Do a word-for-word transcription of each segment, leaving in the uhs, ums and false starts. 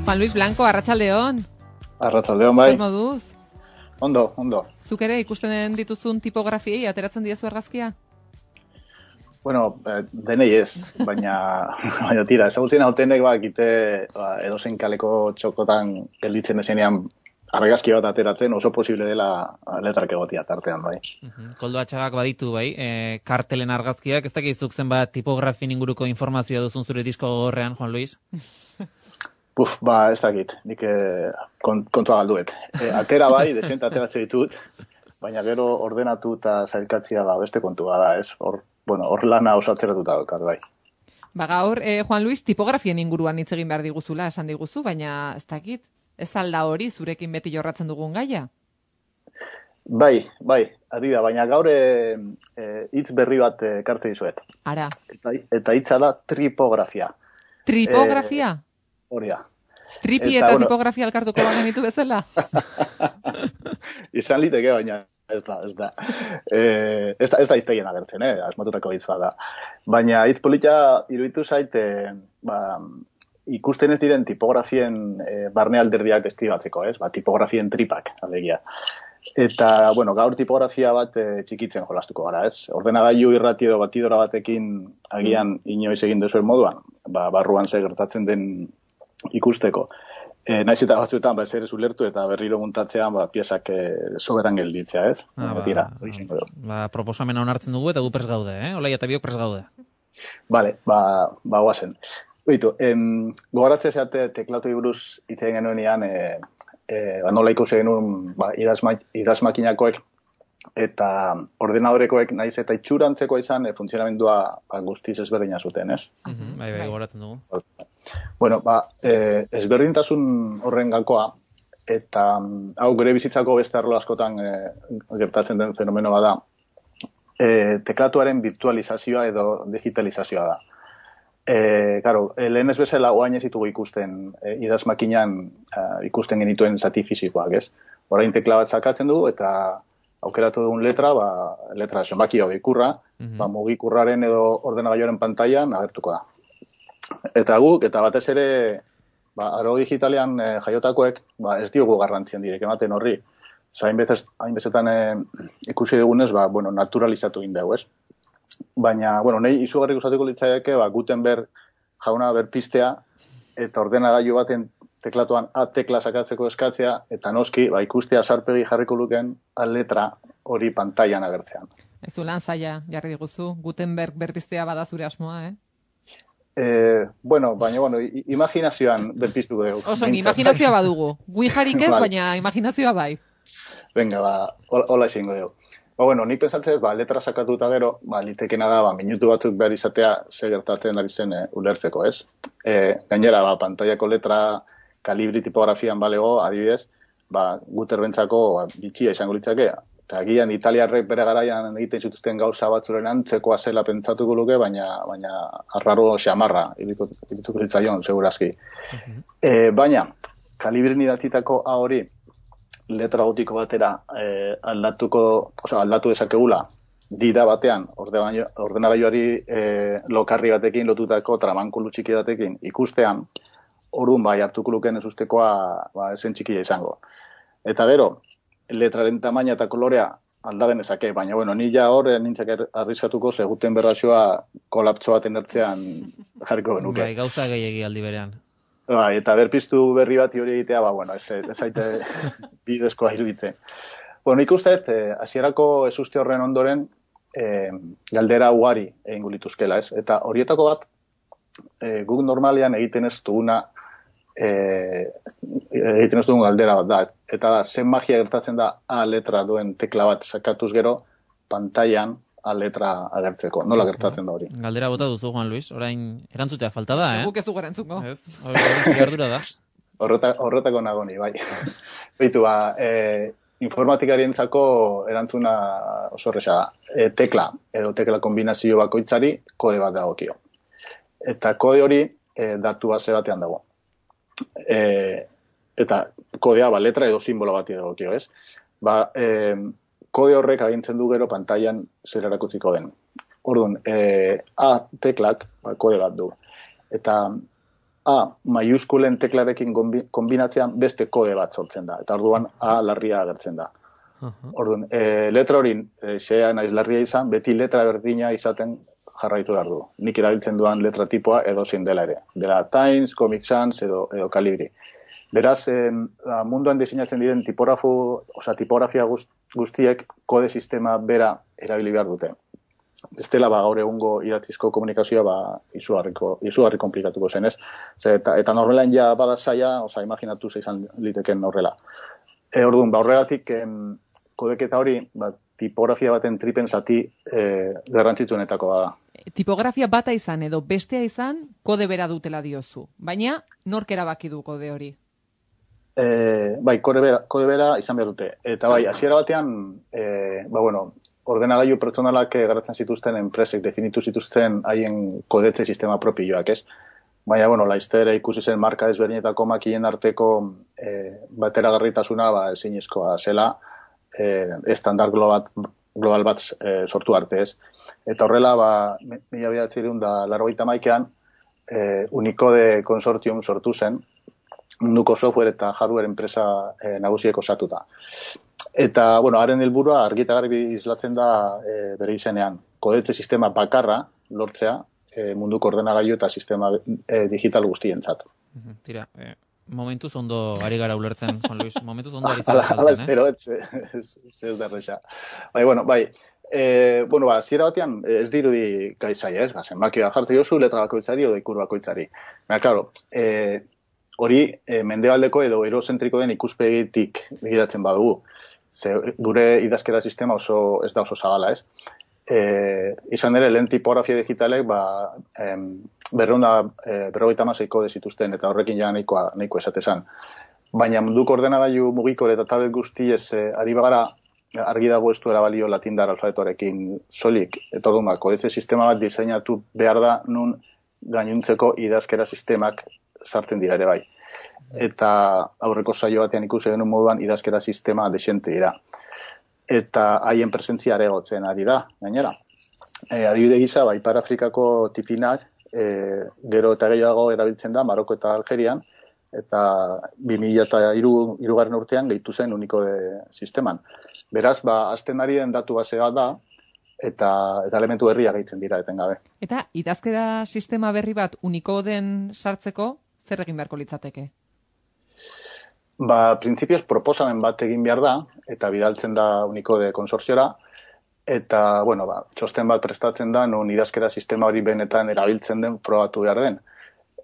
Juan Luis Blanco, arratsaldeon. Arratsaldeon, bai. Zer moduz? Ondo, ondo. Zuk ere ikusten dituzun tipografiei ateratzen diezu argazkia? Bueno, eh, denei ez, baina, baina tira, ezagutzen hautenek ba, egite ba, edozein kaleko txokotan gelditzen esenean argazki bat ateratzen oso posible dela letrak egotia tartean, bai. Uh-huh. Koldo Atxagak baditu, bai, e, kartelen argazkiak, ez dakizuk zenbat tipografin inguruko informazioa duzun zure disko gogorrean, Juan Luis? Puf, ba, ez dakit, nik eh, kont, kontua galduet. E, atera bai, desent ateratzen ditut, baina gero ordenatu eta zailkatzia da beste kontua da, ez? Hor, bueno, hor lana oso atzeratuta daukat, bai. Ba gaur, eh, Juan Luis, tipografien inguruan hitz egin behar diguzula, esan diguzu, baina ez dakit, ez alda hori zurekin beti jorratzen dugun gaia? Bai, bai, ari da, baina gaur e, hitz berri bat ekarte dizuet. Ara. Eta, eta hitza da tripografia. Tripografia? E, hori da. Tripi eta, eta bueno, tipografia alkartuko bagenitu bezala? Izan liteke, baina ez da, ez da. E, ez da, ez da iztegien agertzen, eh? Asmatutako hitz bat da. Baina hitz polita iruditu zait, e, ba, ikusten ez diren tipografien e, barne alderdiak deskribatzeko, ez? Ba, tipografien tripak, alegia. Eta, bueno, gaur tipografia bat e, txikitzen jolastuko gara, ez? Ordenagailu irrati edo batidora batekin agian inoiz egin duzuen moduan, ba, barruan ze gertatzen den ikusteko. E, naiz eta batzuetan ba, zer ez ulertu eta berriro muntatzean ba, piezak e, soberan gelditzea, ez? Ah, ba, Tira, ba, ba, proposamena onartzen dugu eta gu pres gaude, eh? Olai eta biok pres gaude. Vale, ba, ba guazen. Oitu, em, gogoratzen zeate teklatu buruz hitz egin genuenean, e, e, ba, nola ikusi genuen ba, idazmakinakoek eta ordenadorekoek naiz eta itxurantzeko izan e, funtzionamendua ba, guztiz ezberdina zuten, ez? Uh-huh, bai, bai, gogoratzen dugu. Bueno, ba, e, ezberdintasun horren gakoa, eta hau gure bizitzako beste arlo askotan e, gertatzen den fenomeno bada, e, teklatuaren virtualizazioa edo digitalizazioa da. E, claro, lehen ez bezala oain ez ditugu ikusten e, idazmakinan e, ikusten genituen zati fisikoak, ez? Orain tekla bat sakatzen dugu eta aukeratu dugun letra, ba, letra zenbaki hau ikurra, uh-huh. ba, mugikurraren edo ordenagailuaren pantailan agertuko da. Eta guk, eta batez ere, ba, aro digitalean e, jaiotakoek, ba, ez diogu garrantzien direk ematen horri. Hainbezetan e, ikusi dugunez, ba, bueno, naturalizatu egin dugu, ez? Baina, bueno, nahi izugarri gustatuko litzaieke, ba, Gutenberg jauna berpistea, eta ordenagailu baten teklatuan A tekla sakatzeko eskatzea, eta noski, ba, ikustea sarpegi jarriko luken A letra hori pantailan agertzean. Ez du lan zaila, jarri diguzu, Gutenberg berpistea bada zure asmoa, eh? Eh, bueno, baina, bueno, imaginazioan berpiztu dugu. Oso, imaginazioa badugu. Gui jarik ez, baina imaginazioa bai. Venga, ba, hola esingo dugu. Ba, bueno, nik pensatzen, ba, letra sakatuta gero, ba, litekena da, ba, minutu batzuk behar izatea ze gertatzen ari zen e, ulertzeko, ez? E, gainera, ba, pantaiako letra kalibri tipografian balego, adibidez, ba, Gutenbergentzako ba, bitxia izango litzake. Eta agian italiarrek bere garaian egiten zituzten gauza batzuren antzekoa zela pentsatuko luke, baina, baina arraro xamarra irituko zitzaion, segurazki. Uh-huh. E, baina, kalibrin idatzitako A hori letra gotiko batera e, aldatuko, oza, aldatu dezakegula dida batean, ordenagailuari e, lokarri batekin lotutako tramankulu txiki batekin ikustean, orduan bai hartuko luken ez ustekoa ba, esen txikia izango. Eta gero, letraren tamaina eta kolorea aldaren ezake, baina bueno, ni ja hor nintzak arriskatuko ze Gutenberg versioa kolapso baten ertzean jarriko genuke. Bai, gauza gehiegi aldi berean. Bai, eta berpiztu berri bat hori egitea, ba, bueno, ez, ez aite bidezkoa iruditzen. Bueno, ikuste, hasierako ez uste horren ondoren eh, galdera ugari egingo lituzkela, ez? Eta horietako bat, eh, guk normalean egiten ez duguna E, egiten ez dugun galdera bat da. Eta da, zen magia gertatzen da A letra duen tekla bat sakatuz gero pantailan A letra agertzeko. Nola gertatzen da hori? Galdera bota duzu, Juan Luis. Orain erantzutea falta da, eh? Guk ez dugu erantzuko. Ez, hori da. Horreta, horretako nagoni, bai. Beitu, ba, e, informatikarientzako erantzuna oso horreza da. E, tekla, edo tekla kombinazio bakoitzari kode bat dagokio. Eta kode hori e, datu base batean dago. E, eta kodea ba, letra edo simbolo bat edokio, ez? Ba, e, kode horrek agintzen du gero pantailan zer erakutsiko den. Orduan, e, A teklak ba, kode bat du. Eta A maiuskulen teklarekin kombinatzean beste kode bat sortzen da. Eta orduan A larria agertzen da. Uh-huh. Orduan, e, letra hori e, xea naiz larria izan, beti letra berdina izaten jarraitu behar du. Nik erabiltzen duan letra tipoa edo zein dela ere. Dela Times, Comic Sans edo, edo Calibri. Beraz, eh, munduan diseinatzen diren tipografo, oza, tipografia guztiek kode sistema bera erabili behar dute. Bestela, ba, gaur egungo idatzizko komunikazioa ba, izugarriko, izugarri komplikatuko zen, ez? Eta, eta normalean ja bada zaila, oza, imaginatu izan liteken horrela. E, orduan, ba, horregatik, em, kodeketa hori, ba, tipografia baten tripen zati eh, garrantzituenetako da. Tipografia bata izan edo bestea izan, kode bera dutela diozu. Baina, nork erabaki du kode hori? E, bai, kode bera, kode bera izan behar dute. Eta bai, hasiera batean, e, ba, bueno, ordenagailu pertsonalak garatzen zituzten enpresek definitu zituzten haien kodetze sistema propioak, ez? Baina, bueno, laizter ikusi zen marka ezberdinetako makien arteko e, bateragarritasuna ba, ezinezkoa zela, e, estandar global, global bat e, sortu arte, ez? Eta horrela, ba, mila bederatziehun eta laurogeita hamaikaan, e, Unicode Consortium sortu zen, munduko software eta hardware enpresa e, nagusiek osatuta. Eta, bueno, haren helburua argi eta garbi islatzen da e, bere izenean. Kodetze sistema bakarra lortzea e, munduko ordenagailu eta sistema e, digital guztientzat. Tira, eh, momentuz ondo ari gara ulertzen, Juan Luis, momentuz ondo ari zara ulertzen, eh? Ala, espero, ez, ez derreza. Bai, bueno, bai, e, bueno, ba, ziera batean ez dirudi gaizai, ez? Ba, zenbaki bat jartze jozu, letra bakoitzari edo ikur bakoitzari. Baina, klaro, e, hori e, mendebaldeko edo erozentriko den ikuspegitik begiratzen badugu. Ze, gure idazkera sistema oso ez da oso zabala, ez? E, izan ere, lehen tipografia digitalek ba, em, berreunda e, berrogeita hamaseiko zituzten eta horrekin ja nahikoa, nahiko esatezan. Baina munduko ordenagailu mugikor eta tablet guzti ez e, ari bagara argi dago ez duera balio latindar alfabetorekin solik. Eta orduan, ba, kodetze sistema bat diseinatu behar da nun gainuntzeko idazkera sistemak sartzen dira ere bai. Eta aurreko saio batean ikusi genuen moduan idazkera sistema desente dira. Eta haien presentzia aregotzen ari da, gainera. E, adibide gisa, ba, Ipar Afrikako tifinak e, gero eta gehiago erabiltzen da Maroko eta Algerian, eta bi mila hirugarren urtean gehitu zen Unicode sisteman. Beraz, ba, azten ari den datu basea da, eta, eta elementu berriak gehitzen dira etengabe. Eta idazkera sistema berri bat Unicoden sartzeko, zer egin beharko litzateke? Ba, printzipioz proposamen bat egin behar da, eta bidaltzen da Unicode konsorziora, eta, bueno, ba, txosten bat prestatzen da, non idazkera sistema hori benetan erabiltzen den probatu behar den.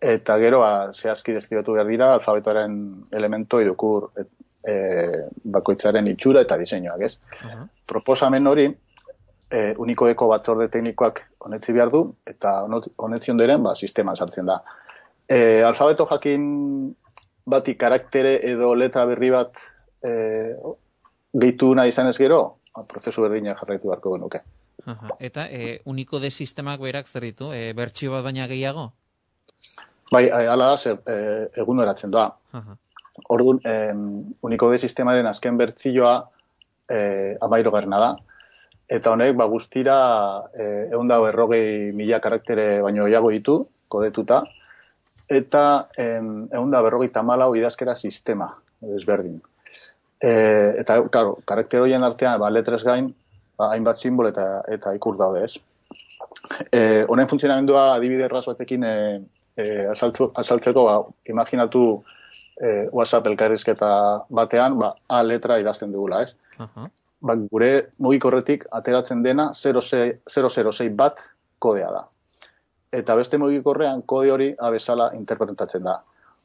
Eta gero, ba, zehazki deskribatu behar dira, alfabetoaren elemento idukur et, e, bakoitzaren itxura eta diseinuak, ez? Uh-huh. Proposamen hori, e, Unicodeko batzorde teknikoak honetzi behar du, eta honetzion diren, ba, sisteman sartzen da. E, alfabeto jakin bati karaktere edo letra berri bat e, gehitu nahi izan ez gero, prozesu berdina jarraitu beharko genuke. Aha. Eta e, Unicode sistemak berak zer ditu? E, bertsio bat baina gehiago? Bai, hala da, e, egun eratzen doa. Orduan, e, Unicode sistemaren azken bertsioa e, amairo garrena da. Eta honek, ba, guztira e, egun dago errogei mila karaktere baino gehiago ditu, kodetuta. Eta egun da berrogeita hamalau idazkera sistema desberdin. E, eta, claro, karakter horien artean, ba, letres gain, ba, hainbat simbol eta, eta ikur daude, ez. E, honen funtzionamendua adibide erraz batekin e, e, asaltzu, asaltzeko, ba, imaginatu e, WhatsApp elkarrizketa batean, ba, A letra idazten dugula, ez. Uh-huh. Ba, gure mugikorretik ateratzen dena zero zero sei bat kodea da. Eta beste mugikorrean kode hori abezala interpretatzen da.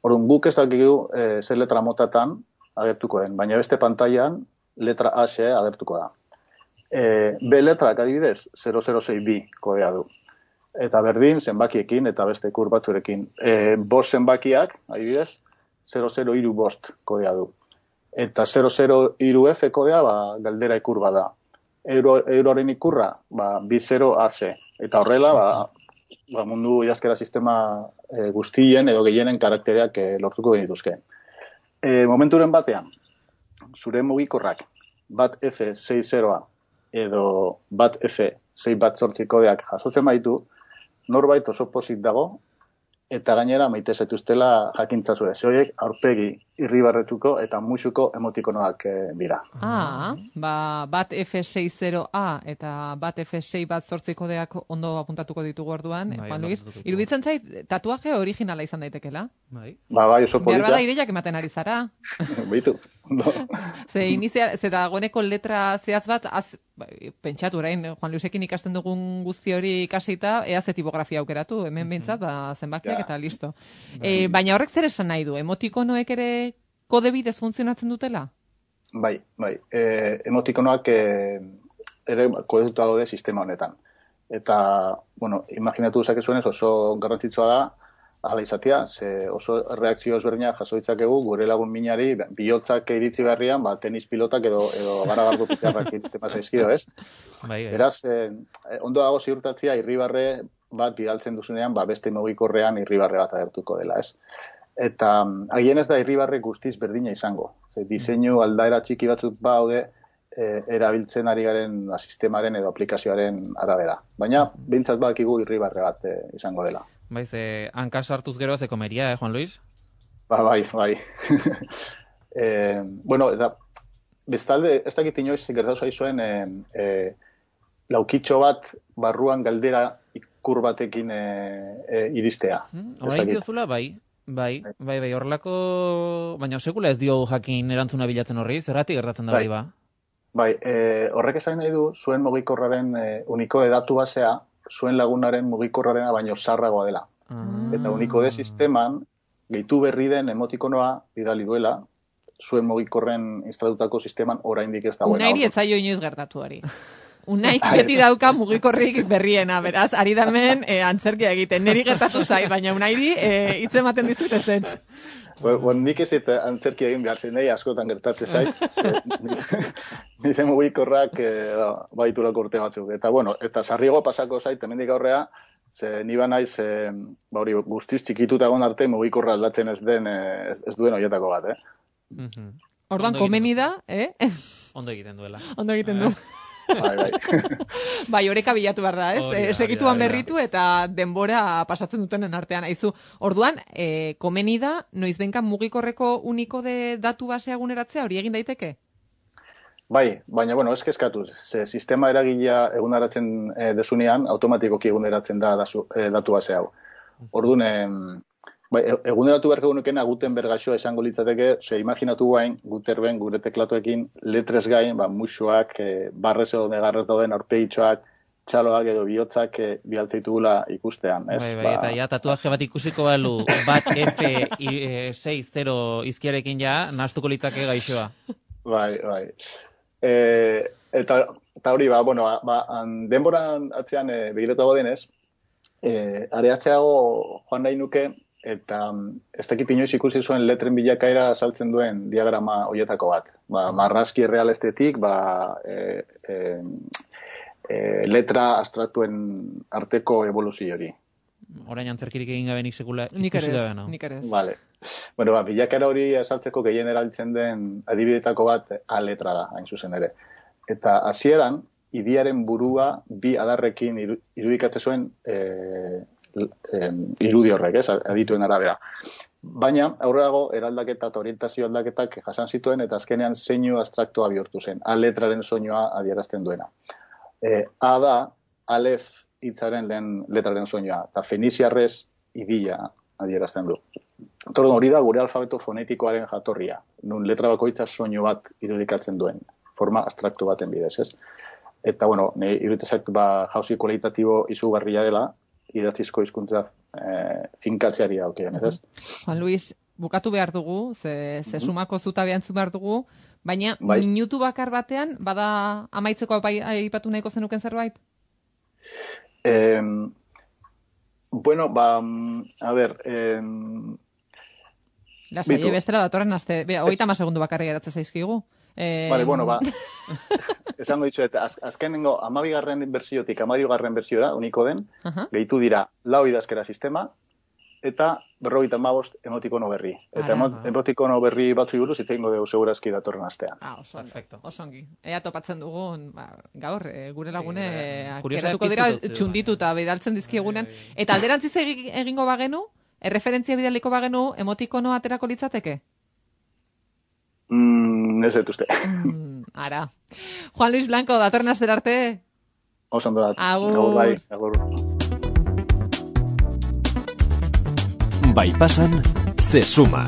Orduan, guk ez dakigu e, zer letra motatan agertuko den, baina beste pantailan letra A xe agertuko da. E, B letrak adibidez, zero zero sei bi kodea du. Eta berdin, zenbakiekin eta beste ikur batzurekin. E, bost zenbakiak, adibidez, zero zero hiru bost kodea du. Eta zero zero hiru F kodea, ba, galdera ikur bada. Euro, euroren ikurra, ba, bi zero A ze. Eta horrela, ba, ba, mundu idazkera sistema e, guztien edo gehienen karaktereak e, lortuko genituzke. E, momenturen batean, zure mugikorrak bat F sei zeroa edo bat F sei bat zortzi kodeak jasotzen baitu, norbait oso pozik dago eta gainera maite zaituztela jakintzazue. Zoiek aurpegi irribarretuko eta musuko emotikonoak e, dira. Ah, ba, bat F seixanta A eta bat F sei bat zortzi kodeak ondo apuntatuko ditugu orduan. Bai, Juan ondo Luis, apuntatuko. iruditzen zait, tatuaje originala izan daitekela. Bai. Ba, bai, oso Behar bada polita. ideiak ematen ari zara. Beitu. No. Ze inizia, ze dagoeneko letra zehatz bat, az, bai, pentsatu orain, Juan Luisekin ikasten dugun guzti hori ikasita, ea ze tipografia aukeratu, hemen behintzat, ba, zenbakiak Ja. eta listo. E, baina horrek zer esan nahi du, emotikonoek ere kode bidez funtzionatzen dutela? Bai, bai. E, emotikonoak e, ere kodetuta daude sistema honetan. Eta, bueno, imaginatu dezakezuenez oso garrantzitsua da, hala izatea, ze oso reakzio ezberdinak jaso ditzakegu gure lagun minari bihotzak iritzi beharrian, ba, tenis pilotak edo, edo garagardo pitarrak iristen zaizkio, ez? Bai, bai. Beraz, eh, ondo dago ziurtatzea irribarre bat bidaltzen duzunean, ba, beste mugikorrean irribarre bat agertuko dela, ez? Eta agien ez da irribarre guztiz berdina izango. Ze, diseinu aldaera txiki batzuk baude, e, erabiltzen ari garen ba, sistemaren edo aplikazioaren arabera. Baina, behintzat badakigu irribarre bat e, izango dela. Bai, ze hanka sartuz gero ze komeria, eh, Juan Luis? Ba, bai, bai. e, bueno, eta bestalde, ez dakit inoiz gertatu zaizuen e, e, laukitxo bat barruan galdera ikur batekin e, e, iristea. Hmm? Ez Orain dakit. diozula, bai. Bai, bai, bai, horrelako... Baina sekula ez dio jakin erantzuna bilatzen horri, zergatik gertatzen da Bai. hori ba? Bai, e, horrek esan nahi du, zuen mugikorraren e, unikode datu basea, zuen lagunaren mugikorrarena baino zarragoa dela. Ah. Eta unikode sisteman, gehitu berri den emotikonoa bidali duela, zuen mugikorren instalutako sisteman oraindik ez dagoena. Unairi ez zaio inoiz gertatu hori. Unaik beti dauka mugikorrik berriena, beraz, ari damen e, antzerkia egiten. Neri gertatu zai, baina unairi e, hitz ematen dizut ezetz. Bueno, bon, nik ez eta antzerki egin behar zen, nahi askotan gertatzen zait. Nire mugikorrak e, baiturako urte batzuk. Eta, bueno, eta sarriago pasako zait, hemendik aurrea, ze ni ba naiz, e, ba hori, guztiz txikituta egon arte mugikorra aldatzen ez den, e, ez, ez duen horietako bat, eh? Mhm. Orduan, Ondo egiten komeni du. da, eh? Ondo egiten duela. Ondo egiten du. Bai, bai. Bai, oreka bilatu behar da, ez? Hori da, Eh, hori da, segituan hori da. berritu eta denbora pasatzen dutenen artean. Aizu, orduan, eh, komeni da, noizbenka mugikorreko unikode datu basea eguneratzea, hori egin daiteke? Bai, baina, bueno, ez kezkatuz. Ze sistema eragilea eguneratzen e, desunean, automatikoki eguneratzen da dazu, e, datu base hau. Orduan, em, bai, e- eguneratu beharko genukena Gutenberg gaixoa esango litzateke, ze imaginatu guain, Gutenberg gure teklatuekin letrez gain, ba, musuak, e, barrez edo negarrez dauden aurpegitxoak, txaloak edo bihotzak e, bialtzeitugula ikustean, ez? Bai, bai, eta ja tatuaje bat ikusiko balu bat F seixanta izkiarekin ja, nahastuko litzake gaixoa. Bai, bai. E, eta, eta hori, ba, bueno, ba, ba, an- denboran atzean e, begiratu denez, e, areatzeago joan nahi nuke, eta mm, ez dakit inoiz ikusi zuen letren bilakaera saltzen duen diagrama horietako bat. Ba, marrazki errealestetik, ba, e, e, e, letra abstraktuen arteko evoluzio hori. Orain antzerkirik egin gabe nik sekula Nik ere ikusi ez, gabe, no? nik ere ez. Vale. Bueno, ba, bilakaera hori esaltzeko gehien erabiltzen den adibidetako bat A letra da, hain zuzen ere. Eta hasieran idiaren burua bi adarrekin iru, irudikatzen zuen e, e, irudi horrek, ez, adituen arabera. Baina, aurrerago, eraldaketa eta orientazio aldaketak jasan zituen, eta azkenean zeinu abstraktua bihurtu zen, A letraren soinua adierazten duena. E, A da, alef hitzaren lehen letraren soinua, eta feniziarrez idila adierazten du. Orduan, hori da gure alfabeto fonetikoaren jatorria, nun letra bakoitza soinu bat irudikatzen duen, forma abstraktu baten bidez, ez? Eta, bueno, ne iruditzen zait, ba, jauzi kualitatibo izugarria dela, idatzizko hizkuntza eh, finkatzeari daukien, ez? Juan Luis, bukatu behar dugu, ze, ze sumako zutabe antzun behar dugu, baina Bai. minutu bakar batean, bada amaitzeko bai- aipatu nahiko zenuken zerbait? Eh, bueno, ba, mm, a ver, eh, Lasai, Bitu. bestela datorren aste, bera, hogeita hamar segundu bakarri geratzen zaizkigu. Eh, vale, bueno, ba, esango ditxuet, az, azkenengo amabigarren bersiotik amarigarren bersiora, uniko den, Aha. gehitu dira lau idazkera sistema, eta berrogeita hamabost emotikono berri. Eta Ara, emo, ba. emotikono berri batzu buruz hitz egingo dugu segurazki datorren astean. Ah, oso, Perfecto. oso ongi. Ea topatzen dugun, ba, gaur, e, gure lagune, Eh, e, kuriosidade geratuko dira piztu dut, txunditu eta bidaltzen dizkigunean. Bai, bai. Eta alderantziz egi- egingo bagenu, Erreferentzia bidaliko bagenu, emotikono aterako litzateke? Mm, ez dut uste. Mm, ara. Juan Luis Blanco, datorren astera arte. Oso ondo dat. Agur. Agur bai, agur. Bai pasan, se suma.